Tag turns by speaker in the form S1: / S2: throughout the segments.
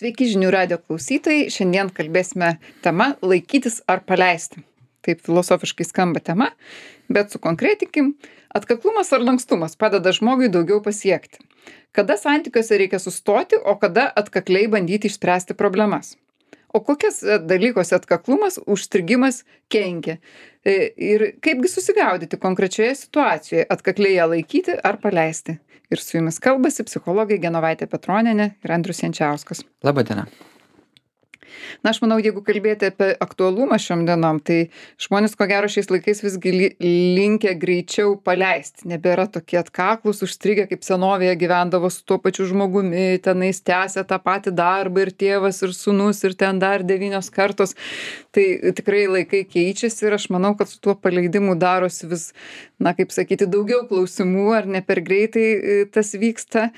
S1: Sveiki žinių radijo klausytojai. Šiandien kalbėsime tema laikytis ar paleisti. Taip filosofiškai skamba tema, bet sukonkretinkim. Atkaklumas ar lankstumas padeda žmogui daugiau pasiekti. Kada santykiuose reikia sustoti, o kada atkakliai bandyti išspręsti problemas. O kokias dalykuose atkaklumas, užstrigimas kenkia? Ir kaipgi susigaudyti konkrečioje situacijoje, atkakliai ją laikyti ar paleisti? Ir su jumis kalbasi psichologai Genovaitė Petronienė ir Andrius Jančiauskas.
S2: Labą dieną.
S1: Na, aš manau, jeigu kalbėti apie aktualumą šiom dienom, tai žmonės, ko gero, šiais laikais visgi linkę greičiau paleisti. Nebėra tokie atkaklus, užstrigę, kaip senovėje gyvendavo su tuo pačiu žmogumi, tenais tęsia tą patį darbą ir tėvas, ir sūnus, ir ten dar 9 kartos. Tai tikrai laikai keičiasi ir aš manau, kad su tuo paleidimu darosi vis, na, kaip sakyti, daugiau klausimų, ar ne per greitai tas vyksta.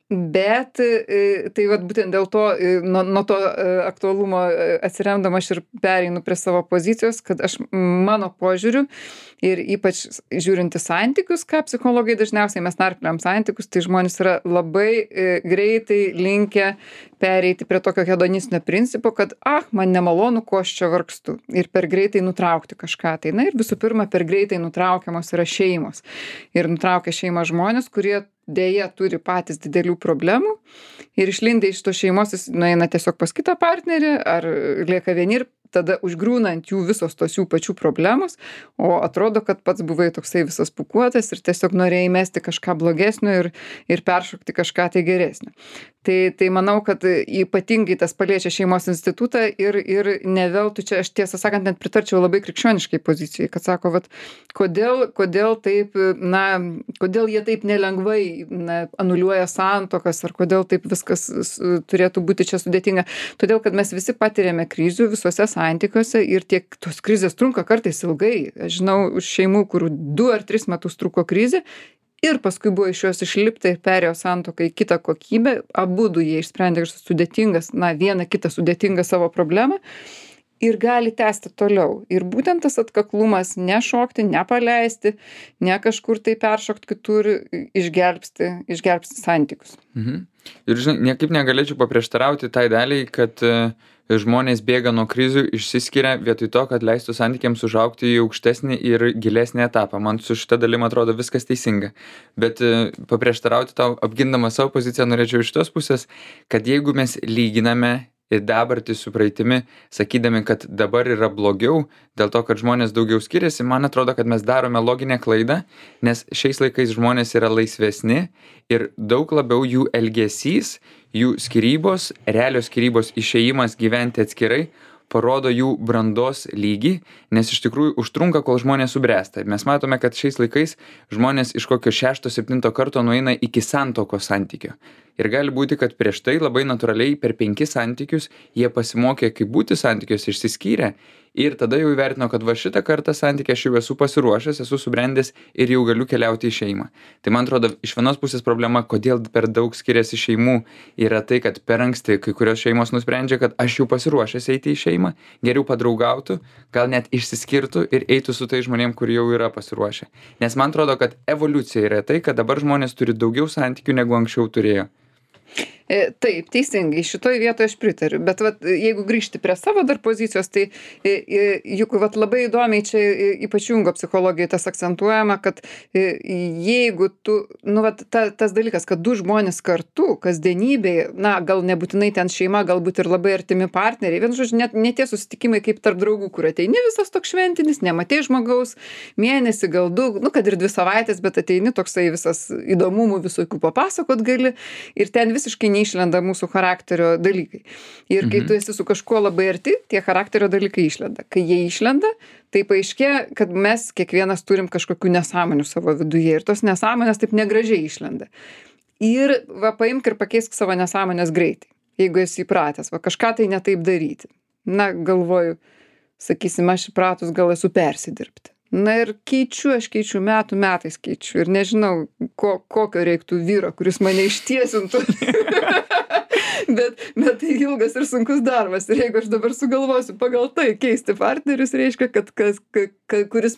S1: Bet tai vat būtent dėl to, nuo to aktualumo atsiremdama aš ir pereinu prie savo pozicijos, kad aš mano požiūriu ir ypač žiūrint į santykius, ką psichologai dažniausiai mes narpliam santykius, tai žmonės yra labai greitai linkę pereiti prie tokio hedonistinio principo, kad man nemalonu, ko aš čia vargstu ir per greitai nutraukti kažką. Tai na ir visų pirma, per greitai nutraukiamos yra šeimos. Ir nutraukia šeimą žmonės, kurie dėja turi patys didelių problemų ir išlindę iš tos šeimos jis nueina tiesiog pas kitą partnerį ar lieka vieni ir tada užgriūna ant jų visos tos jų pačių problemos, o atrodo, kad pats buvai toksai visas pūkuotas ir tiesiog norėjai mesti kažką blogesnio ir peršokti kažką tai geresnio. Tai manau, kad ypatingai tas paliečia šeimos institutą ir ne veltui čia, aš tiesą sakant, net pritarčiau labai krikščioniškai pozicijai, kad sako, vat, kodėl taip, na, kodėl jie taip nelengvai anuliuoja santuokas, ar kodėl taip viskas turėtų būti čia sudėtinga. Todėl, kad mes visi patiriame krizių visuose santykiuose ir tiek tos krizės trunka kartais ilgai. Aš žinau už šeimų, kur 2 ar 3 metus truko krizė ir paskui buvo iš jos išlipta ir perėjo santuoką į kitą kokybę. Abudu jie išsprendė sudėtingas, vieną kitą sudėtingą savo problemą ir gali tęsti toliau. Ir būtent tas atkaklumas nešokti, nepaleisti, ne kažkur tai peršokti kitur, išgelbsti santykius.
S2: Ir žinai, niekaip negalėčiau paprieštarauti tai daliai, kad žmonės bėga nuo krizių, išsiskiria vietoj to, kad leistų santykiams užaugti į aukštesnį ir gilesnį etapą. Man su šita dalim atrodo viskas teisinga. Bet paprieštarauti tau, apgindama savo poziciją, norėčiau iš tos pusės, kad jeigu mes lyginame ir dabartį su praeitimi, sakydami, kad dabar yra blogiau, dėl to, kad žmonės daugiau skiriasi, man atrodo, kad mes darome loginę klaidą, nes šiais laikais žmonės yra laisvesni ir daug labiau jų elgesys, jų skyrybos, realios skyrybos išėjimas gyventi atskirai, parodo jų brandos lygį, nes iš tikrųjų užtrunka, kol žmonės subręsta. Mes matome, kad šiais laikais žmonės iš kokio 6-7 karto nueina iki santuokos santykio. Ir gali būti, kad prieš tai labai natūraliai per 5 santykius jie pasimokė, kaip būti santykiuose, išsiskyrė ir tada jau įvertino, kad va šitą kartą santykį aš jau esu pasiruošęs, esu subrendęs ir jau galiu keliauti į šeimą. Tai man atrodo, iš vienos pusės problema, kodėl per daug skiriasi šeimų, yra tai, kad per anksti kai kurios šeimos nusprendžia, kad aš jau pasiruošęs eiti į šeimą, geriau padraugautų, gal net išsiskirtų ir eitų su tai žmonėm, kur jau yra pasiruošę. Nes man atrodo, kad evoliucija yra tai, kad dabar žmonės turi daugiau santykių negu anksčiau turėjo.
S1: Taip, teisingai, šitoj vietoje aš pritariu, bet vat, jeigu grįžti prie savo dar pozicijos, tai juk vat, labai įdomiai čia ypač Jungo psichologijai tas akcentuojama, kad jeigu tu, vat, tas dalykas, kad 2 žmonės kartu, kasdienybėje, gal nebūtinai ten šeima, galbūt ir labai artimi partneriai, vien žodžiu, ne tie susitikimai kaip tarp draugų, kur ateini visas toks šventinis, nematei žmogaus, mėnesį, gal 2, kad ir 2 savaitės, bet ateini toksai visas įdomumų visokių papasakot gali ir ten visiškai neišlenda mūsų charakterio dalykai. Ir kai tu esi su kažkuo labai arti, tie charakterio dalykai išlenda. Kai jie išlenda, tai paaiškėja, kad mes kiekvienas turim kažkokių nesąmonių savo viduje ir tos nesąmonės taip negražiai išlenda. Ir paimk ir pakeisk savo nesąmonės greitai, jeigu esi įpratęs, kažką tai ne taip daryti. Galvoju, sakysim, aš įpratus gal esu persidirbti. Ir aš keičiu metais ir nežinau, kokio reiktų vyro, kuris mane ištiesintų. bet tai ilgas ir sunkus darbas. Ir jeigu aš dabar sugalvosiu pagal tai keisti partnerius, reiškia, kad kuris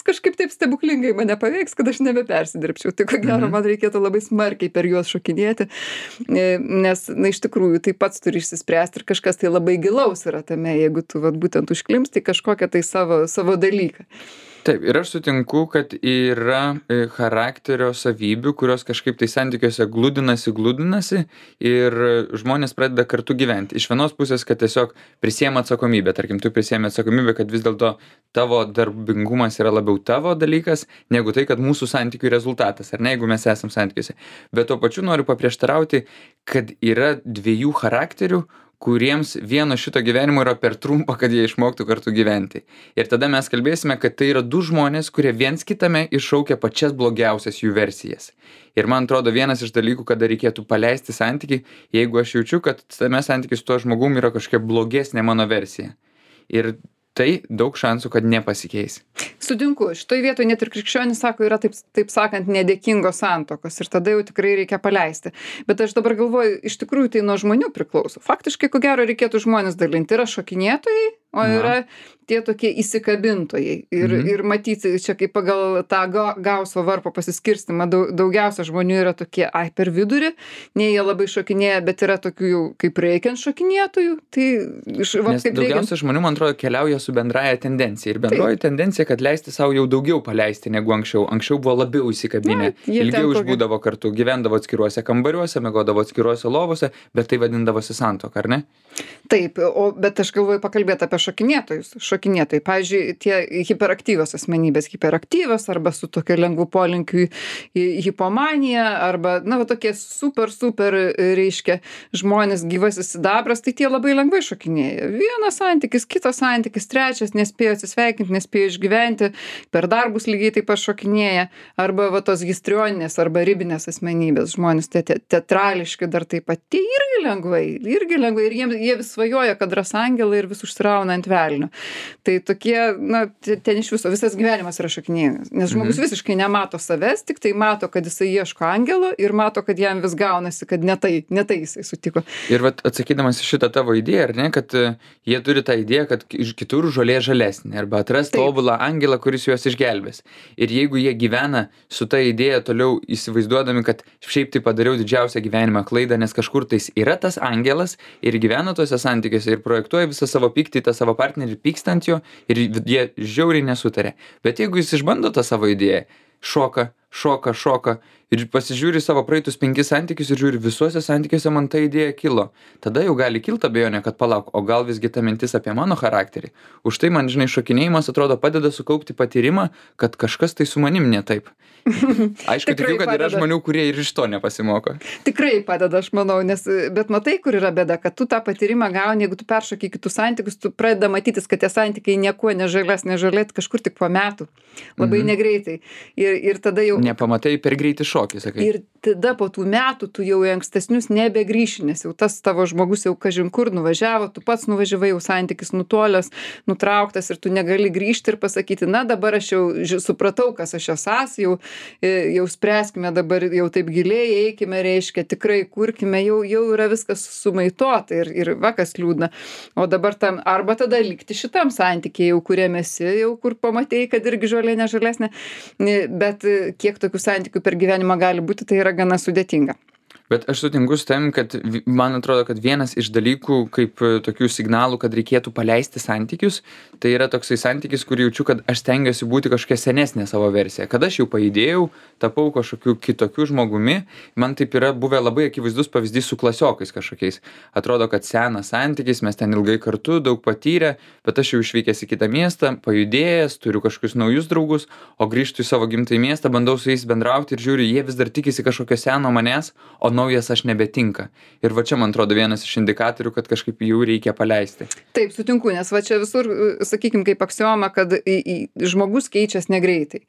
S1: kažkaip taip stebuklingai mane paveiks, kad aš nebepersidirbčiau. Tai ko gero, man reikėtų labai smarkiai per juos šokinėti, nes, na, iš tikrųjų, tai pats turi išsispręsti ir kažkas tai labai gilaus yra tame, jeigu tu vat, būtent užklimsti kažkokią tai savo dalyką.
S2: Taip, ir aš sutinku, kad yra charakterio savybių, kurios kažkaip tai santykiuose glūdinasi ir žmonės pradeda kartu gyventi. Iš vienos pusės, kad tiesiog prisiema atsakomybę. Tarkim, tu prisiemi atsakomybę, kad vis dėlto tavo darbingumas yra labiau tavo dalykas, negu tai, kad mūsų santykių rezultatas, ar ne, jeigu mes esam santykiuose. Bet tuo pačiu noriu paprieštarauti, kad yra dviejų charakterių, kuriems vieno šito gyvenimo yra per trumpa, kad jie išmoktų kartu gyventi. Ir tada mes kalbėsime, kad tai yra du žmonės, kurie viens kitame iššaukia pačias blogiausias jų versijas. Ir man atrodo, vienas iš dalykų, kada reikėtų paleisti santykį, jeigu aš jaučiu, kad tame santykiai su tuo žmogum yra kažkokia blogesnė mano versija. Ir tai daug šansų, kad nepasikeis.
S1: Sutinku, šitoj vietoj net ir krikščionys sako, yra taip sakant nedėkingos santuokos ir tada jau tikrai reikia paleisti. Bet aš dabar galvoju, iš tikrųjų tai nuo žmonių priklauso. Faktiškai, ko gero, reikėtų žmonės dalinti. Yra šokinėtojai, o yra tie tokie įsikabintojai. Ir matyti, čia kaip pagal tą Gauso varpo pasiskirstimą, daugiausia žmonių yra tokie, per vidurį, nei jie labai šokinėja, bet yra tokių jau kaip reikiant šokinėtojų. Tai,
S2: nes daugiausia žmonių, man atrodo, keliauja su bendraja tendencija. Ir bendroji tendencija, kad leisti savo jau daugiau paleisti negu anksčiau. Anksčiau buvo labiau įsikabinę, ilgiau išbūdavo kartu, gyvendavo atskiruose kambariuose, miegodavo atskiruose lovose, bet tai vadindavosi santuoka, ar ne?
S1: Taip, bet aš galvoju pakalbėti apie šokinėtojus. Šokinėtojai, pavyzdžiui, tie hiperaktyvios asmenybės, hiperaktyvios arba su tokiu lengvu polinkiu į hipomaniją, arba, na, va, tokie super, reiškia, žmonės gyvasis sidabras, tai tie labai lengvai šokinėja. Vienas santykis, kitas santykis, trečias, nespėjo atsisveikinti, nespėjo išgyventi, per darbus lygiai taip pat šokinėja, arba va tos histrioninės arba ribinės asmenybės, žmonės teatrališki dar taip pat, tie irgi lengvai, ir jie vis svajoja, kad ras angelą ir vis užsirauna ant velnio. Tai tokie, na, ten iš viso, visas gyvenimas yra šokinėjimas, nes žmogus visiškai nemato savęs, tik tai mato, kad jisai ieško angelo ir mato, kad jam vis gaunasi, kad ne tai jisai sutiko.
S2: Ir vat atsakydamas į šitą tavo idėją, ar ne, kad jie turi tą idėją, kad kitur žolė žalesnė, arba atras tobulą angelą, kuris juos išgelbės. Ir jeigu jie gyvena su ta idėja toliau įsivaizduodami, kad šiaip tai padariau didžiausią gyvenimą klaidą, nes kažkur tais yra tas angelas ir gyvena tuose santykiuose ir projektuoja visą savo pyktį, tą savo partnerį, pyksta ant jo ir jie žiauriai nesutarė. Bet jeigu jis išbando tą savo idėją, šoka ir pasižiūri savo praeitus 5 santykius ir žiūri, visuose santykiuose man ta idėja kilo. Tada jau gali kilti abejonė, kad palauk, o gal visgi ta mintis apie mano charakterį. Už tai man, žinai, šokinėjimas atrodo padeda sukaupti patyrimą, kad kažkas tai su manim ne taip. Aišku, tikiu, kad yra žmonių, kurie ir iš to nepasimoko.
S1: Tikrai padeda, aš manau, bet matai, kur yra bėda, kad tu tą patyrimą gauni, jeigu tu peršoki kitus santykius, tu pradeda matytis, kad tie santykiai niekuo nežalėt kažkur tik po metų. Labai negreitai. Ir tada jau...
S2: Nepamatai per greitį šokį, sakai.
S1: Ir tada po tų metų tu jau į ankstesnius nebegrįši, nes jau tas tavo žmogus jau kažin kur nuvažiavo, tu pats nuvažiavai, jau santykis nutolęs, nutrauktas ir tu negali grįžti ir pasakyti, na dabar aš jau supratau, kas aš esu, jau spręskime dabar jau taip giliai, eikime, reiškia, tikrai kurkime, jau yra viskas sumaitota ir va kas liūdna. O dabar arba tada likti šitam santykiai, jau kuriame esi, jau kur pamatėjai, kad irgi žolė nežalesnė, bet kiek tokių santykių per gyvenimą gali būti, tai yra gana sudėtinga.
S2: Bet aš sutinku su tavim, kad man atrodo, kad vienas iš dalykų, kaip tokių signalų, kad reikėtų paleisti santykius, tai yra toksai santykis, kur jaučiu, kad aš stengiuosi būti kažkokia senesnė savo versija. Kad aš jau pajudėjau, tapau kažkokiu kitokiu žmogumi, man taip yra buvę labai akivaizdus pavyzdys su klasiokais kažkokiais. Atrodo, kad senas santykis, mes ten ilgai kartu, daug patyrę, bet aš jau išvykęs į kitą miestą, pajudėjęs, turiu kažkokius naujus draugus, o grįžtu į savo gimtąjį miestą, bandau su jais bendrauti ir žiūriu, jie vis dar tikisi kažkokio seno manęs, o naujas aš nebetinka. Ir va čia, man atrodo, vienas iš indikatorių, kad kažkaip jų reikia paleisti.
S1: Taip, sutinku, nes va čia visur, sakykime, kaip aksioma, kad žmogus keičiasi negreitai.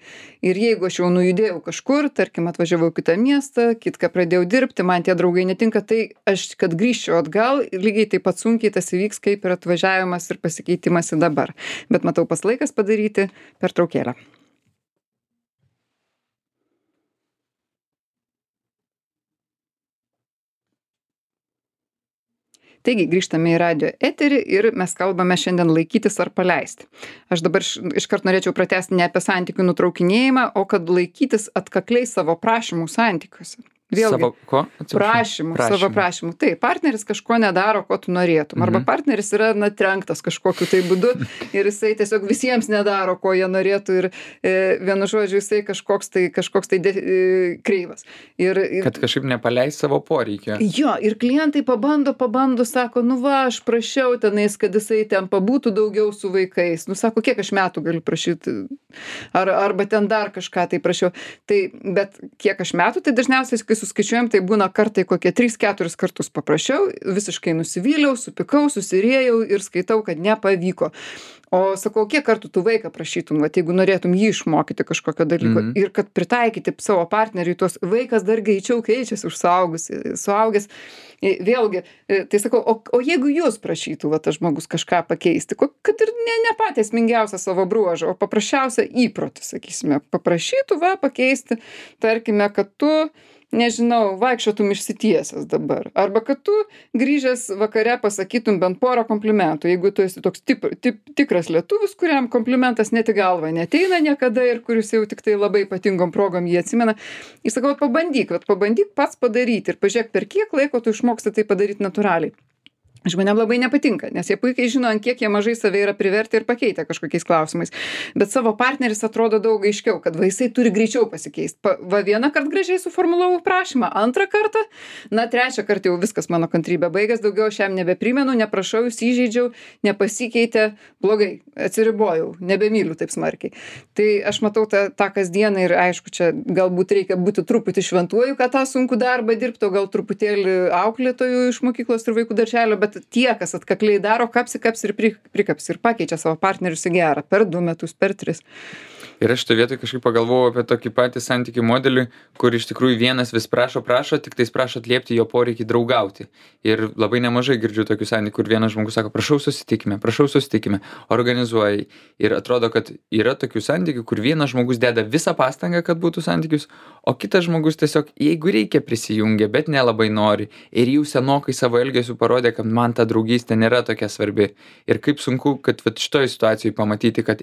S1: Ir jeigu aš jau nujudėjau kažkur, tarkim, atvažiavau į kitą miestą, kitką pradėjau dirbti, man tie draugai netinka, tai aš, kad grįžčiau atgal, lygiai taip pat sunkiai tas įvyks, kaip ir atvažiavimas ir pasikeitimas į dabar. Bet matau, pas laikas padaryti pertraukėlę. Taigi, grįžtame į radio eterį ir mes kalbame šiandien laikytis ar paleisti. Aš dabar iškart norėčiau pratęsti ne apie santykių nutraukinėjimą, o kad laikytis atkakliai savo prašymų santykiuose. Vėlgi,
S2: Savo ko?
S1: savo prašymų. Taip, partneris kažko nedaro, ko tu norėtum. Arba partneris yra trenktas kažkokiu tai būdu ir jisai tiesiog visiems nedaro, ko jie norėtų ir vienu žodžiu jisai kažkoks tai kreivas.
S2: Kad kažkaip nepaleis savo poreikio.
S1: Jo, ir klientai pabando, sako, nu va, aš prašiau tenais, kad jisai ten pabūtų daugiau su vaikais. Nu, sako, kiek aš metų galiu prašyti, arba ten dar kažką tai prašiau. Tai, bet kiek aš metų, tai dažniausiai, kai suskaičiuojam, tai būna kartai kokie 3-4 kartus paprašiau, visiškai nusivyliau, supykau, susiriejau ir skaitau, kad nepavyko. O sakau, kiek kartų tu vaiką prašytum, vat, jeigu norėtum jį išmokyti kažkokio dalyko ir kad pritaikyti savo partneriui, tuos vaikas dar greičiau keičiasi už suaugęs. Vėlgi, tai sakau, o jeigu jūs prašytų, va, tas žmogus kažką pakeisti, kad ir ne patį esmingiausią savo bruožą, o paprasčiausią įprotį, sakysime, paprašytų, va, pakeisti, tarkime, kad tu nežinau, vaikščiotum išsitiesęs dabar. Arba kad tu grįžęs vakare pasakytum bent porą komplimentų. Jeigu tu esi toks tikras lietuvis, kuriam komplimentas net į galvą neteina niekada ir kuris jau tik tai labai ypatingom progom jį atsimena. Jis sakau, pabandyk pats padaryti ir pažiūrėk, per kiek laiko tu išmoksti tai padaryti natūraliai. Žmonėm labai nepatinka, nes jie puikiai žino, ant kiek jie mažai save yra privertę ir pakeitę kažkokiais klausimais. Bet savo partneris atrodo daug aiškiau, kad jisai turi greičiau pasikeisti. Va vieną kartą gražiai suformulavau prašymą, antrą kartą, trečią kartą jau viskas mano kantrybė baigės, daugiau aš jam nebeprimenu, neprašau, jis įžeidžiau, nepasikeitė, blogai, atsiribojau, nebemyliu taip smarkiai. Tai aš matau tą kasdieną ir aišku, čia galbūt reikia būti truputį šventuoju, kad tą sunkų darbą dirbtų, gal truputėlį auklėtojų iš mokyklos ir vaikų darželio, bet tie, kas atkakliai daro, kapsi ir prikapsi ir pakeičia savo partnerius į gerą per 2 metus, per 3.
S2: Ir aš šitoje vietoje kažkaip pagalvojau apie tokį patį santykių modelį, kur iš tikrųjų vienas vis prašo, tik tais prašo atliepti jo poreikį draugauti. Ir labai nemažai girdžiu tokių santykių, kur vienas žmogus sako, prašau susitikime, organizuoji. Ir atrodo, kad yra tokių santykių, kur vienas žmogus deda visą pastangą, kad būtų santykius, o kitas žmogus tiesiog, jeigu reikia, prisijungia, bet nelabai nori. Ir jau senokai savo elgesiu parodė, kad man ta draugystė nėra tokia svarbi. Ir kaip sunku, kad šitoje situacijoje pamatyti, kad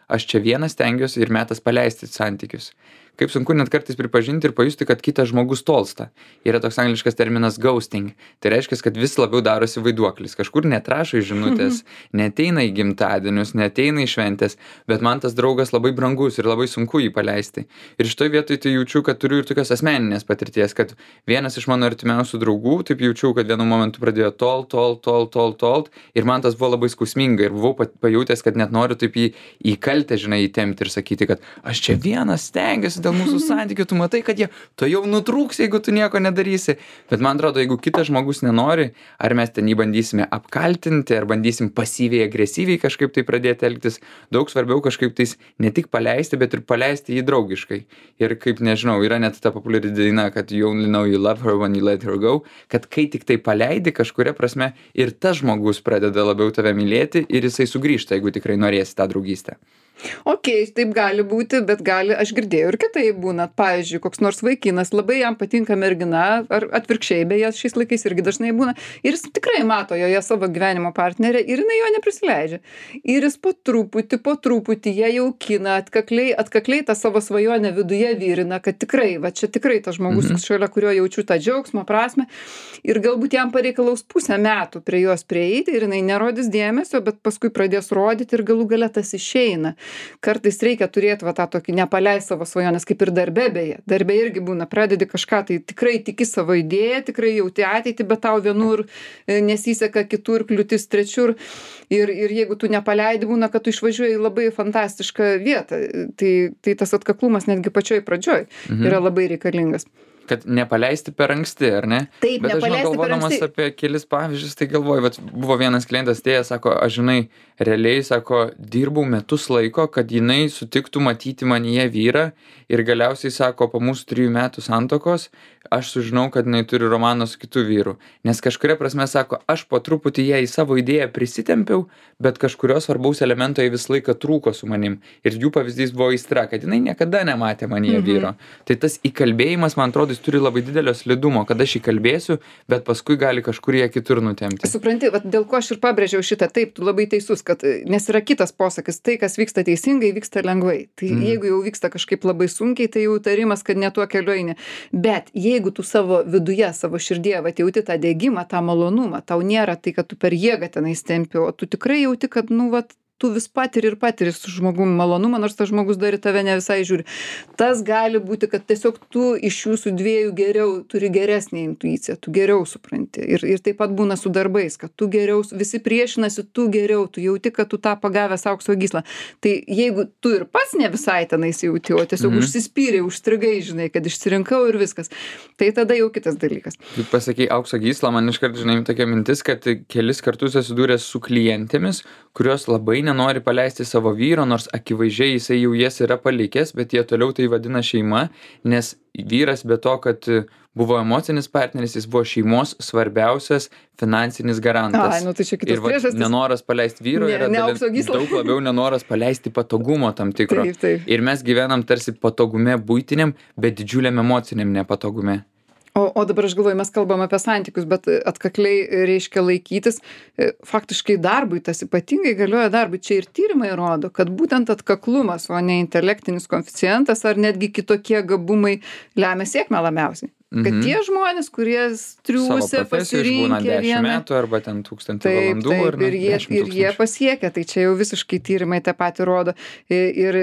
S2: aš čia vienas stengiuosi ir metas paleisti santykius. Kaip sunku net kartais pripažinti ir pajusti, kad kitas žmogus tolsta. Yra toks angliškas terminas ghosting. Tai reiškia, kad vis labiau darosi vaiduoklis. Kažkur netrašo į žinutės, neteina į gimtadienius, neteina į šventės, bet man tas draugas labai brangus ir labai sunku jį paleisti. Ir šitoje vietoje tai jaučiu, kad turiu ir tokios asmeninės patirties, kad vienas iš mano artimiausių draugų, taip jaučiu, kad vienu momentu pradėjo tolt ir man tas buvo labai skausminga ir buvau pajutęs, kad net noriu taip į kaltę, įtempti ir sakyti, kad aš čia vienas stengiuosi dėl mūsų santykių, tu matai, kad jie to jau nutrūks, jeigu tu nieko nedarysi. Bet man atrodo, jeigu kitas žmogus nenori, ar mes ten jį bandysime apkaltinti, ar bandysim pasyviai, agresyviai kažkaip tai pradėti elgtis, daug svarbiau kažkaip tais ne tik paleisti, bet ir paleisti jį draugiškai. Ir kaip nežinau, yra net ta populiari daina, kad you only know you love her when you let her go, kad kai tik tai paleidi kažkuria prasme ir tas žmogus pradeda labiau tave mylėti ir jisai sugrįžta, jeigu tikrai norėsi tą draugystę.
S1: Taip gali būti, bet aš girdėjau ir kitaip būna. Pavyzdžiui, koks nors vaikinas, labai jam patinka mergina, ar atvirkščiai, beje, šiais laikais irgi dažnai būna, ir jis tikrai mato joje savo gyvenimo partnerę ir jinai jo neprisileidžia. Ir jis po truputį ją jaukina, atkakliai tą savo svajonę viduje vyrina, kad tikrai, va čia tikrai tas žmogus, šalia kurio jaučiu tą džiaugsmo prasme, ir galbūt jam pareikalaus 1,5 metų prie jos prieiti ir jinai nerodys dėmesio, bet paskui pradės rodyti ir galų gale tas išeina. Kartais reikia turėti tą tokį nepaleist savo svajonės, kaip ir darbe beje. Darbe irgi būna, pradedi kažką, tai tikrai tiki savo idėją, tikrai jauti ateitį, bet tau vienur nesiseka, kitur kliūtis trečiur. Ir jeigu tu nepaleidi, būna, kad tu išvažiuoji į labai fantastišką vietą. Tai tas atkaklumas netgi pačioj pradžioj yra labai reikalingas.
S2: Kad nepaleisti per anksti, ar ne?
S1: Taip,
S2: bet
S1: nepaleisti per anksti. Bet aš
S2: galvodamas apie kelis pavyzdžius, tai galvoju, buvo vienas klientas atėjęs, sako, aš realiai, sako, dirbau metus laiko, kad jinai sutiktų matyti manyje vyrą ir galiausiai, sako, po mūsų 3 metų santuokos, aš sužinau, kad jinai turi romaną su kitu vyru. Nes kažkuria prasme, sako, aš po truputį ją į savo idėją prisitempiau, bet kažkurio svarbaus elemento jai vis laiką trūko su manim. Ir jų pavyzdys buvo aistra, kad jinai niekada nematė manyje vyro. Tai tas įkalbėjimas, man atrodo, jis turi labai didelio slidumo, kad aš įkalbėsiu, bet paskui gali kažkur ją kitur nutempti.
S1: Supranti, vat dėl ko aš ir pabrėžiau šitą, taip, tu labai teisus, kad, nes yra kitas posakis, tai, kas vyksta teisingai, vyksta lengvai. Tai jeigu jau vyksta kažkaip labai sunkiai, tai jau tarimas, kad ne tuo keliu eini. Bet jeigu tu savo viduje, savo širdėje, vat jauti tą degimą, tą malonumą, tau nėra tai, kad tu per jėgą tenais tempi, o tu tikrai jauti, kad, nu, vat, tu vis patiri ir patiri su žmogum malonumą, nors tas žmogus dar į tave ne visai žiūri. Tas gali būti, kad tiesiog tu iš jūsų dviejų geriau, turi geresnį intuiciją, tu geriau supranti. Ir taip pat būna su darbais, kad tu geriau, visi priešinasi, tu geriau, tu jauti, kad tu tą pagavęs aukso gyslą. Tai jeigu tu ir pats ne visai tenais jauti, o tiesiog užsispyrei, užstrigai, žinai, kad išsirinkau ir viskas, tai tada jau kitas dalykas.
S2: Kaip pasakai, aukso gyslą, man iškart, žinai, tokia mintis, kad kelis kartus susidūręs su klientėmis, kurios labai nenori paleisti savo vyro, nors akivaizdžiai jisai jau jas yra palikęs, bet jie toliau tai vadina šeima, nes vyras be to, kad buvo emocinis partneris, jis buvo šeimos svarbiausias finansinis garantas.
S1: Ai, nu tai čia kitas priežastis.
S2: Nenoras paleisti vyro yra daug labiau nenoras paleisti patogumo tam tikro.
S1: Taip.
S2: Ir mes gyvenam tarsi patogume buitiniam, bet didžiuliam emociniam nepatogume.
S1: O dabar aš galvoju, mes kalbam apie santykius, bet atkakliai reiškia laikytis. Faktiškai darbui, tas ypatingai galioja darbui. Čia ir tyrimai rodo, kad būtent atkaklumas, o ne intelektinis koeficientas ar netgi kitokie gabumai lemia sėkmę labiausiai. Kad tie žmonės, kurie triūsia, pasirinkę
S2: 10 metų arba ten 1000 valandų
S1: ir jie pasiekia, tai čia jau visiškai tyrimai tą patį rodo. Ir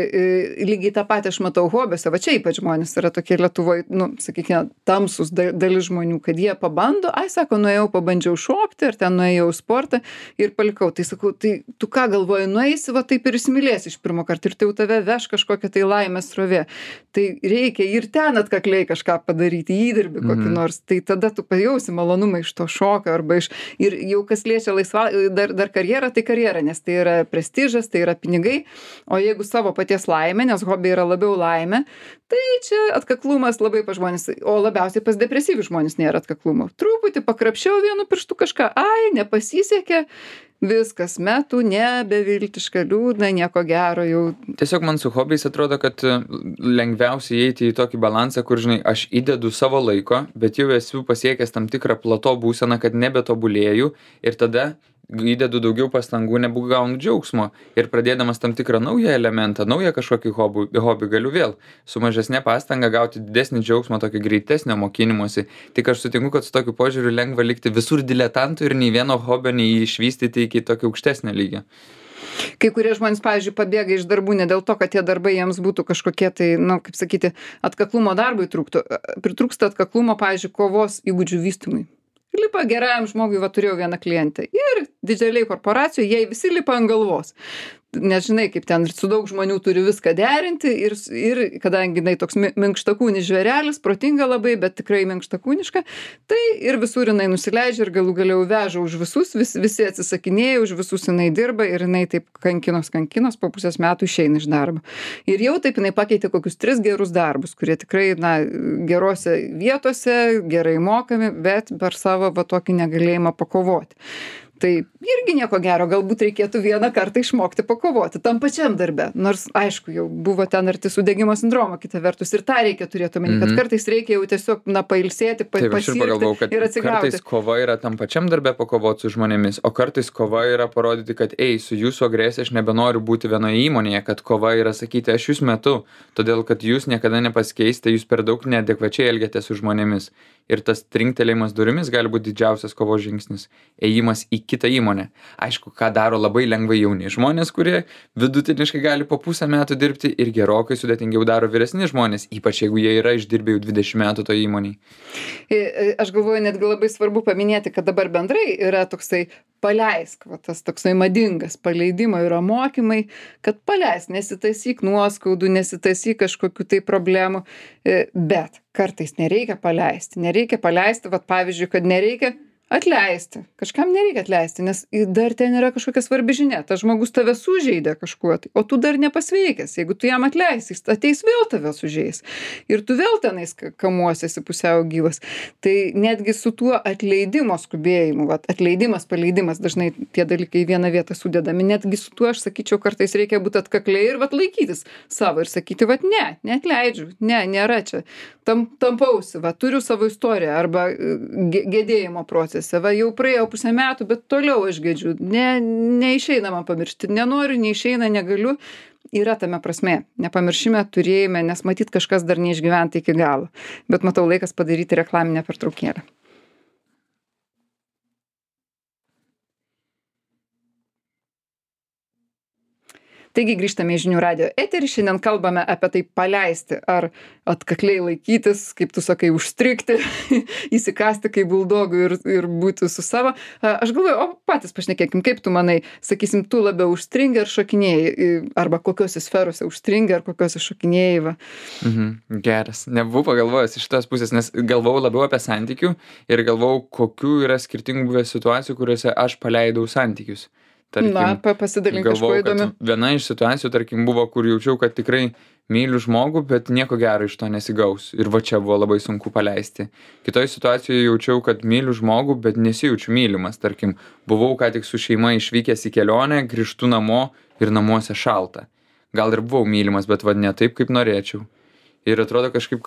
S1: lygiai tą patį aš matau hobiuose, va čia ypač žmonės yra tokie Lietuvoje, nu, sakykime, tamsus dalis žmonių, kad jie pabando, sako, nuėjau, pabandžiau šokti, ar ten nuėjau į sportą ir palikau. Tai sakau, tai tu ką galvoji, nueisi, va taip ir įsimylėsi iš pirmo karto ir tai jau tave veš kažkokia tai laimės srovė. Tai reikia ir ten atkakliai kažką padaryti, įdirbį kokį nors, tai tada tu pajausi malonumą iš to šokio arba iš, ir jau kas liečia dar karjerą, tai karjera, nes tai yra prestižas, tai yra pinigai, o jeigu savo paties laimė, nes hobiai yra labiau laimė, tai čia atkaklumas labai pas žmonės, o labiausiai pas depresyvius žmonės nėra atkaklumo. Truputį pakrapščiau vienu pirštu kažką, nepasisekė, viskas, metų, nebeviltiška, liūdna, nieko gero jau.
S2: Tiesiog man su hobiais atrodo, kad lengviausiai įeiti į tokį balansą, kur, žinai, aš įdedu savo laiko, bet jau esu pasiekęs tam tikrą plato būseną, kad nebetobulėju ir tada įdedu daugiau pastangų, negu gaunu džiaugsmo. Ir pradėdamas tam tikrą naują elementą, naują kažkokį hobį galiu vėl su mažesnė pastanga gauti didesnį džiaugsmą, tokį greitesnio mokymosi. Tik aš sutinku, kad su tokiu požiūriu lengva likti visur diletantų ir nei vieno hobio neišvystyti iki tokio aukštesnio lygio.
S1: Kai kurie žmonės, pavyzdžiui, pabėga iš darbų ne dėl to, kad tie darbai jiems būtų kažkokie tai, nu, kaip sakyti, atkaklumo darbui pritrūksta atkaklumo, pavyzdžiui, kovos įgūdžių vystymui. Lipa gerajam žmogui, va turėjau vieną klientę. Ir didžiuliai korporacijai, jie visi lipa ant galvos. Nežinai, kaip ten su daug žmonių turi viską derinti ir kadangi jinai toks minkštakūnis žvėrelis, protinga labai, bet tikrai minkštakūniška, tai ir visur jinai nusileidžia ir galų galiau veža už visus, visi atsisakinėja, už visus jinai dirba ir jinai taip kankinos, po pusės metų išeina iš darbo. Ir jau taip jinai pakeitė kokius 3 gerus darbus, kurie tikrai, na, gerose vietose, gerai mokami, bet per savo va tokį negalėjimą pakovoti. Tai irgi nieko gero, galbūt reikėtų vieną kartą išmokti pakovoti tam pačiam darbe. Nors, aišku, jau buvo ten arti sudegimo sindromo, kita vertus, ir tą reikia turėti omeny, kad kartais reikia jau tiesiog, na, pailsėti, pasirgti ir atsigauti.
S2: Kartais kova yra tam pačiam darbe pakovoti su žmonėmis, o kartais kova yra parodyti, kad, su jūsų agresija aš nebenoriu būti vienoje įmonėje, kad kova yra sakyti, aš jūs metu, todėl kad jūs niekada nepasikeisite, jūs per daug neadekvačiai elgiatės su žmonėmis. Ir tas trinktelėjimas durimis gali būti didžiausias kovos žingsnis. Ėjimas į kitą įmonę. Aišku, ką daro labai lengvai jauni žmonės, kurie vidutiniškai gali po pusę metų dirbti ir gerokai sudėtingiau daro vyresni žmonės, ypač jeigu jie yra išdirbę jau 20 metų to įmonėj.
S1: Aš galvoju, netgi labai svarbu paminėti, kad dabar bendrai yra toksai paleisk, va, tas toksai madingas paleidimo yra mokymai, kad paleisk, nesitaisyk nuoskaudų, nesitaisyk kažkokių tai problemų, bet kartais nereikia paleisti, vat pavyzdžiui, kad nereikia Atleisti. Kažkam nereikia atleisti, nes dar ten yra kažkokia svarbi žinia. Tas žmogus tave sužeidė kažkuo tai, o tu dar nepasveikęs. Jeigu tu jam atleisi, jis ateis vėl tave sužeis. Ir tu vėl tenais kamuosiesi pusiau gyvas. Tai netgi su tuo atleidimo skubėjimu, vat, atleidimas, paleidimas, dažnai tie dalykai į vieną vietą sudedami, netgi su tuo aš sakyčiau, kartais reikia būti atkakliai ir vat laikytis savo ir sakyti, vat neatleidžiu, nėra čia. Tampausi, va, turiu savo istoriją arba gedėjimo procese, va, jau praėjo 1,5 metų, bet toliau aš gedžiu, neišeina man pamiršti, nenoriu, neišeina, negaliu, yra tame prasmė, nepamiršime, turėjime, nes matyt kažkas dar neišgyventa iki galo, bet matau laikas padaryti reklaminę pertraukėlę. Taigi grįžtame į Žinių radijo eterį, šiandien kalbame apie tai paleisti, ar atkakliai laikytis, kaip tu sakai, užstrigti, įsikasti kaip buldogui ir būti su savo. Aš galvoju, o patys pašnekėkim, kaip tu manai, sakysim, tu labiau užstringi ar šokinėjai, arba kokiose sferose užstringi ar kokiose šokinėjai. Va.
S2: Geras, nebuvau pagalvojęs iš tos pusės, nes galvojau labiau apie santykių ir galvojau, kokių yra skirtingų buvę situacijų, kuriuose aš paleidau santykius.
S1: Tarkim, pasidalink kažko įdomiu.
S2: Viena iš situacijų, tarkim, buvo, kur jaučiau, kad tikrai myliu žmogų, bet nieko gero iš to nesigaus. Ir va čia buvo labai sunku paleisti. Kitoj situacijoje jaučiau, kad myliu žmogų, bet nesijaučiu mylimas. Tarkim, buvau ką tik su šeima išvykęs į kelionę, grįžtu namo ir namuose šalta. Gal ir buvau mylimas, bet va ne taip, kaip norėčiau. Ir atrodo kažkaip,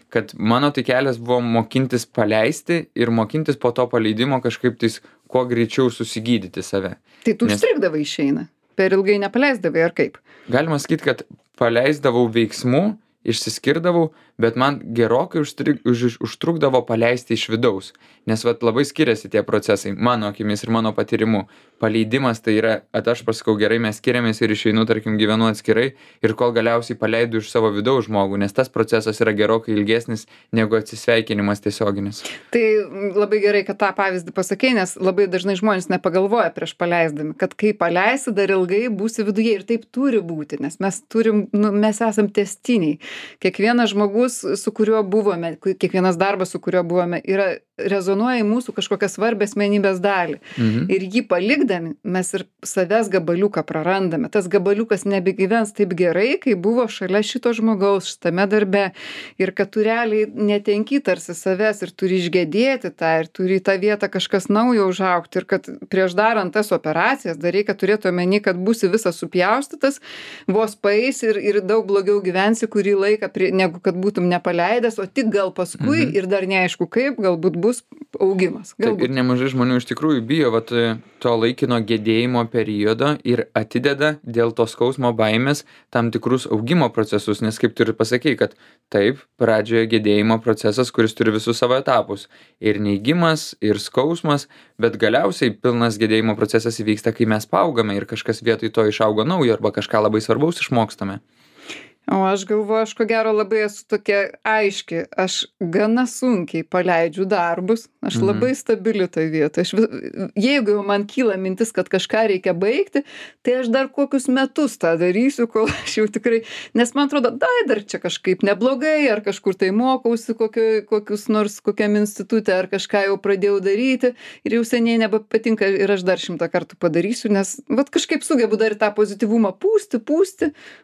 S2: kad mano tai kelias buvo mokintis paleisti ir mokintis po to paleidimo kažkaip tais kuo greičiau susigydyti save.
S1: Tai tu užstrigdavai išeina, per ilgai nepaleisdavai ar kaip?
S2: Galima sakyti, kad paleisdavau veiksmų, išsiskirdavau, bet man gerokai užtrukdavo paleisti iš vidaus. Nes vat labai skiriasi tie procesai, mano akimis ir mano patyrimu. Paleidimas tai yra, aš pasakau, gerai, mes skiriamės ir išeinu, tarkim, gyvenu atskirai ir kol galiausiai paleidu iš savo vidaus žmogų, nes tas procesas yra gerokai ilgesnis negu atsisveikinimas tiesioginis.
S1: Tai labai gerai, kad tą pavyzdį pasakei, nes labai dažnai žmonės nepagalvoja prieš paleisdami, kad kai paleisi, dar ilgai būsi viduje ir taip turi būti, nes mes esam tęstiniai. Kiekvienas žmogus, su kuriuo buvome, kiekvienas darbas, su kuriuo buvome, rezonuoja į mūsų kažkokią svarbę asmenybės dalį. Ir jį palikdami, mes ir savęs gabaliuką prarandame. Tas gabaliukas nebegyvens taip gerai, kai buvo šalia šito žmogaus, šitame darbe. Ir kad tu realiai netenki tarsi savęs ir turi išgedėti tą, ir turi į tą vietą kažkas naujo užaugti. Ir kad prieš darant tas operacijas, dar reikia turėti omeny, kad būsi visas supjaustytas, vos paeis ir daug blogiau gyvensi kurį laiką, negu kad būtum nepaleidęs, o tik gal paskui ir dar neaišku kaip, galbūt bus augimas.
S2: Taip, ir nemažai žmonių iš tikrųjų bijo to laikino gedėjimo periodo ir atideda dėl to skausmo baimės tam tikrus augimo procesus, nes kaip tu ir pasakei, kad taip, pradžioje gedėjimo procesas, kuris turi visus savo etapus. Ir neigimas, ir skausmas, bet galiausiai pilnas gedėjimo procesas įvyksta, kai mes paaugame ir kažkas vietoj to išaugo naujo arba kažką labai svarbaus išmokstame.
S1: O aš galvoju, aš ko gero labai esu tokia aiški, aš gana sunkiai paleidžiu darbus, aš labai stabili toj vietoj. Jeigu jau man kyla mintis, kad kažką reikia baigti, tai aš dar kokius metus tą darysiu, kol aš jau tikrai, nes man atrodo, dar čia kažkaip neblogai, ar kažkur tai mokausi kokiam institutė, ar kažką jau pradėjau daryti ir jau seniai nebepatinka ir aš dar 100 kartų padarysiu, nes vat kažkaip sugebu dar tą pozityvumą pūsti,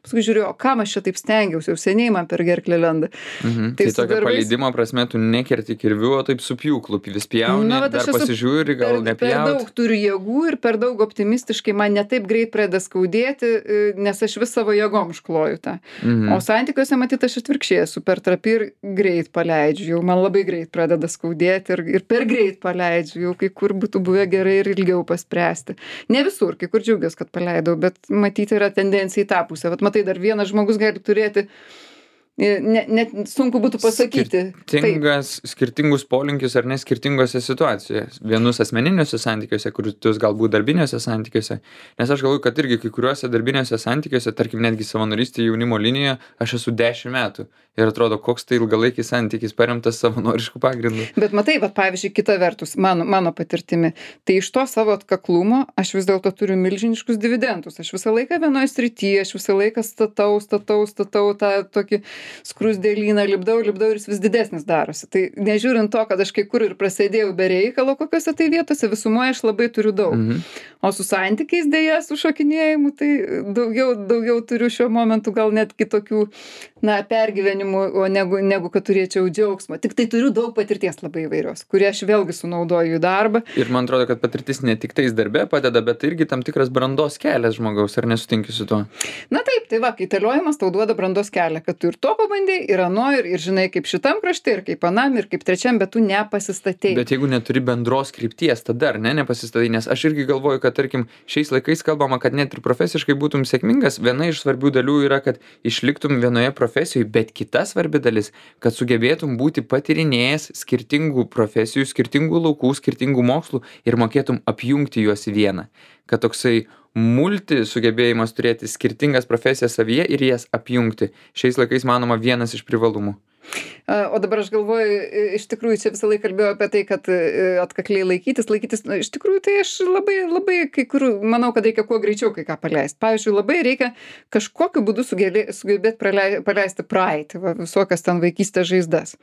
S1: paskui žiūriu, o kam aš čia taip stengiausi, jau seniai man per gerklę lenda.
S2: Tai tokio paleidimo prasme tu nekerti kirvių, o taip su pjūklu vis pjauni, dar pasižiūri, gal nepjaut.
S1: Per daug turiu jėgų ir per daug optimistiškai man netaip greit pradeda skaudėti, nes aš vis savo jėgom škloju tą. O santykiuose matyt aš atvirkščiai esu per trapi ir greit paleidžiu, jau man labai greit pradeda skaudėti ir per greit paleidžiu, jau kai kur būtų buvę gerai ir ilgiau paspręsti. Ne visur, kai kur džiaugiuosi, kad paleidau, bet matyti yra tendencija į tą pusę. Vat matai, dar vienas žmogus gali turėti, net sunku būtų pasakyti.
S2: Skirtingus polinkius ar ne skirtingose situacijose. Vienus asmeniniuose santykiuose, kitus galbūt darbiniuose santykiuose. Nes aš galvoju, kad irgi kai kuriuose darbiniuose santykiuose, tarkim netgi savanorystėje jaunimo linijoje, aš esu 10 metų. Ir atrodo, koks tai ilgalaikis santykis paremtas savanoriškų pagrindų.
S1: Bet matai, pavyzdžiui, kita vertus, mano patirtimi, tai iš to savo atkaklumo aš vis dėlto turiu milžiniškus dividendus. Aš visą laiką vienoje srityje, aš visą laiką statau tą tokį skruzdėlyną lipdau ir jis vis didesnis darosi. Tai nežiūrint to, kad aš kai kur ir prasėdėjau be reikalo kokiose tai vietose, visumoje aš labai turiu daug. O su santykiais dėja, su šokinėjimu, tai daugiau turiu šiuo momentu gal net kitokių, pergyvenimų, negu kad turėčiau džiaugsmo. Tik tai turiu daug patirties labai įvairios, kurie aš vėlgi sunaudoju į darbą.
S2: Ir man atrodo, kad patirtis ne tik tais darbe padeda, bet tai irgi tam tikras brandos kelias žmogaus, ar nesutinki su tuo?
S1: Na taip, tai va, kaitaliojimas tau duoda brandos kelią, kad tu ir to pabandai, ir ano, ir žinai, kaip šitam krašte, ir kaip anam, ir kaip trečiam, bet tu nepasistatei.
S2: Bet jeigu neturi bendros krypties, tada ar nepasistatai, nes aš irgi galvoju, kad tarkim, šiais laikais kalbama, kad net ir profesiškai būtum sėkmingas, viena iš svarbių dalių yra, kad išliktum vienoje profesijoje, bet kita svarbi dalis, kad sugebėtum būti patyrinėjęs skirtingų profesijų, skirtingų laukų, skirtingų mokslų ir mokėtum apjungti juos į vieną. Kad toksai multi sugebėjimas turėti skirtingas profesijas savyje ir jas apjungti. Šiais laikais manoma vienas iš privalumų.
S1: O dabar aš galvoju, iš tikrųjų čia visą laiką kalbėjau apie tai, kad atkakliai laikytis, iš tikrųjų tai aš labai kai kur manau, kad reikia kuo greičiau kai ką paleisti. Pavyzdžiui, labai reikia kažkokiu būdu sugebėti paleisti praeitį, visokias ten vaikystės žaizdas.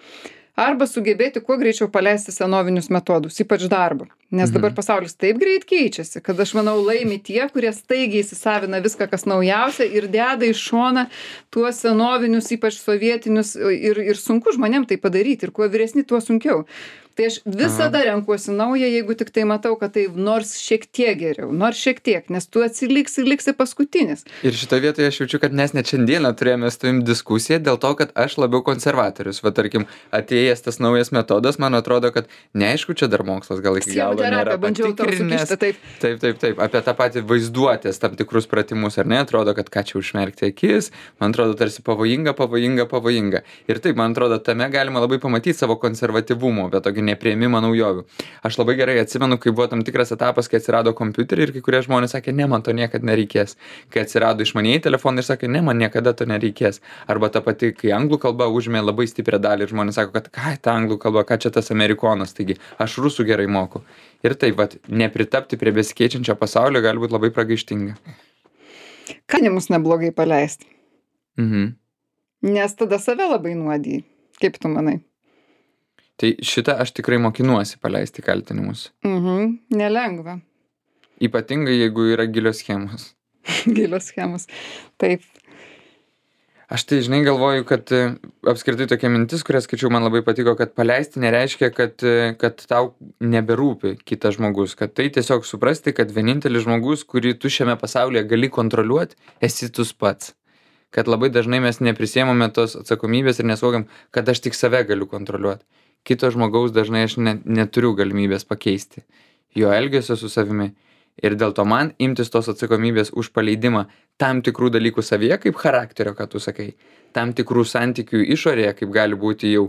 S1: Arba sugebėti kuo greičiau paleisti senovinius metodus, ypač darbą. Nes dabar pasaulis taip greit keičiasi, kad aš manau laimi tie, kurie staigiai įsisavina viską, kas naujausia ir deda į šoną tuos senovinius, ypač sovietinius ir sunku žmonėm tai padaryti ir kuo vyresni, tuo sunkiau. Tai aš visada renkuosi naują, jeigu tik tai matau, kad tai nors šiek tiek geriau, nes tu liksi paskutinis.
S2: Ir šitoje vietoje aš jaučiu, kad mes net šiandieną turėjome su tavim diskusiją dėl to, kad aš labiau konservatorius. Va tarkim, atėjęs tas naujas metodas, man atrodo, kad neaišku, čia dar mokslas gal iki galo nėra patikrinęs. Taip. Apie tą patį vaizduotės tam tikrus pratimus, ar ne? Atrodo, kad ką čia užmerkti akis, man atrodo, tarsi pavojinga. Ir taip, man atrodo, tame galima labai pamatyti savo konservatyvumo, bet tokį nepriėmimą naujovių. Aš labai gerai atsimenu, kai buvo tam tikras etapas, kai atsirado kompiuteriai ir kai kurie žmonės sakė, ne, man to niekada nereikės. Kai atsirado išmanieji telefonai ir sakė, ne, man niekada to nereikės. Arba ta pati, kai anglų kalba užėmė labai stiprią dalį ir žmonės sako, kad ką ta anglų kalba, ką čia tas amerikonas, taigi aš rusų gerai moku. Ir taip, nepritapti prie besikeičiančio pasaulio gali būti labai pragaištinga.
S1: Kanimus neblogai paleisti. Nes tada save labai nuodiji. Kaip tu manai?
S2: Tai šitą aš tikrai mokinuosi paleisti kaltinimus.
S1: Nelengva.
S2: Ypatingai, jeigu yra gilios schemos.
S1: Gilios schemos, taip.
S2: Aš tai, žinai, galvoju, kad apskritai tokia mintis, kurią skaičiau, man labai patiko, kad paleisti nereiškia, kad tau neberūpi kitas žmogus. Kad tai tiesiog suprasti, kad vienintelis žmogus, kurį tu šiame pasaulyje gali kontroliuoti, esi tu pats. Kad labai dažnai mes neprisiemame tos atsakomybės ir nesuvokiam, kad aš tik save galiu kontroliuoti. Kito žmogaus dažnai aš neturiu galimybės pakeisti jo elgesio su savimi. Ir dėl to man imtis tos atsakomybės už paleidimą tam tikrų dalykų savyje, kaip charakterio, ką tu sakai, tam tikrų santykių išorėje, kaip gali būti jau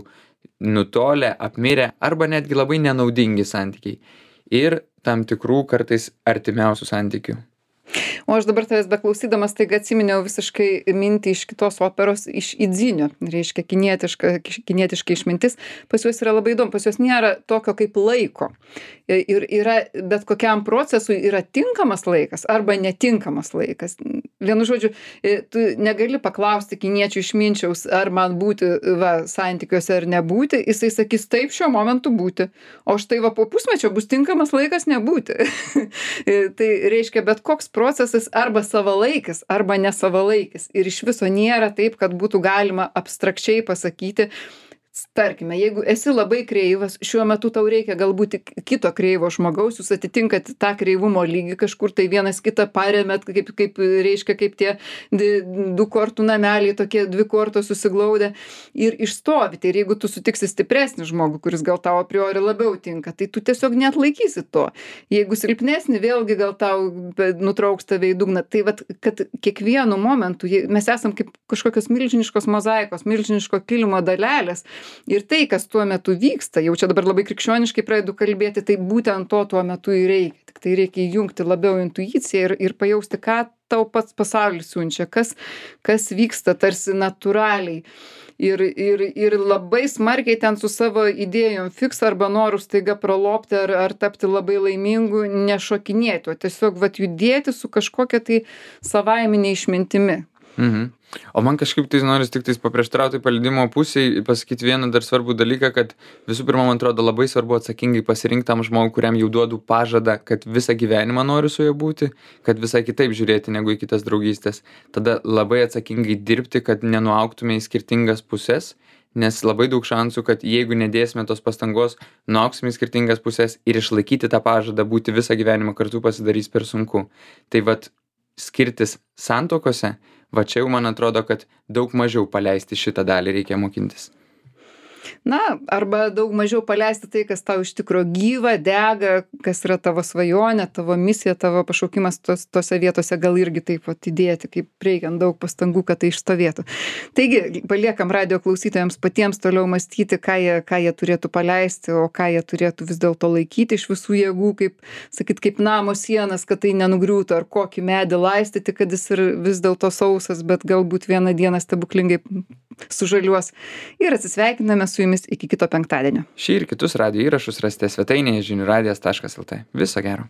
S2: nutolę, apmirę arba netgi labai nenaudingi santykiai. Ir tam tikrų kartais artimiausių santykių.
S1: O aš dabar tavęs beklausydamas taiga atsiminiau visiškai mintį iš kitos operos, iš Idzinio, reiškia kinietiška išmintis. Pas juos yra labai įdomu, pas juos nėra tokio kaip laiko. Ir yra, bet kokiam procesui yra tinkamas laikas arba netinkamas laikas. Vienu žodžiu, tu negali paklausti kiniečių išminčiaus, ar man būti santykiuose ar nebūti, jisai sakys taip šiuo momentu būti, o štai po pusmečio bus tinkamas laikas nebūti. Tai reiškia, bet koks procesas arba savalaikis, arba nesavalaikis. Ir iš viso nėra taip, kad būtų galima abstrakčiai pasakyti, tarkime, jeigu esi labai kreivas, šiuo metu tau reikia galbūt kito kreivo žmogaus, jūs atitinkat tą kreivumo lygį kažkur, tai vienas kitą paremėt, kaip reiškia, kaip tie du kortų nameliai, tokie dvi kortos susiglaudę ir išstovite. Ir jeigu tu sutiksi stipresnį žmogų, kuris gal tau a priori labiau tinka, tai tu tiesiog net laikysi to. Jeigu silpnesnį, vėlgi gal tau nutrauks tave į dugną. Tai vat, kad kiekvienu momentu mes esam kaip kažkokios milžiniškos mozaikos, milžiniško kilimo dalelės. Ir tai, kas tuo metu vyksta, jau čia dabar labai krikščioniškai pradedu kalbėti, tai būtent to tuo metu ir reikia. Tik tai reikia įjungti labiau intuiciją ir pajausti, ką tau pats pasaulis siunčia, kas vyksta tarsi natūraliai. Ir labai smarkiai ten su savo idėjom fiks arba noru staiga pralopti ar tapti labai laimingu, nešokinėti, o tiesiog judėti su kažkokia tai savaiminė išmintimi.
S2: Mhm. O man kažkaip tai noris tik tais paprieštarauti paleidimo pusėj, pasakyti vieną dar svarbų dalyką, kad visų pirma, man atrodo, labai svarbu atsakingai pasirinkti tam žmogui, kuriam jau duodu pažadą, kad visą gyvenimą noriu su juo būti, kad visai kitaip žiūrėti negu į kitas draugystės. Tada labai atsakingai dirbti, kad nenuaugtume į skirtingas puses, nes labai daug šansų, kad jeigu nedėsime tos pastangos, nuaugsime į skirtingas puses ir išlaikyti tą pažadą būti visą gyvenimą kartu pasidarys per sunku. Tai vat skirtis santuokose, va čia jau man atrodo, kad daug mažiau paleisti šitą dalį reikia mokintis.
S1: Na, arba daug mažiau paleisti tai, kas tau iš tikro gyva, dega, kas yra tavo svajonė, tavo misija, tavo pašaukimas tose vietose gal irgi taip pat įdėti, kaip reikiant daug pastangų, kad tai išstovėtų. Taigi, paliekam radijo klausytojams patiems toliau mąstyti, ką jie turėtų paleisti, o ką jie turėtų vis dėlto laikyti iš visų jėgų, kaip namo sienas, kad tai nenugriūtų, ar kokį medį laistyti, kad jis ir vis dėlto sausas, bet galbūt vieną dieną stebuklingai sužaliuos. Ir atsisveikiname su jumis iki kito penktadienio.
S2: Šį ir kitus radijo įrašus rasite svetainėje žiniųradijas.lt. Viso gero.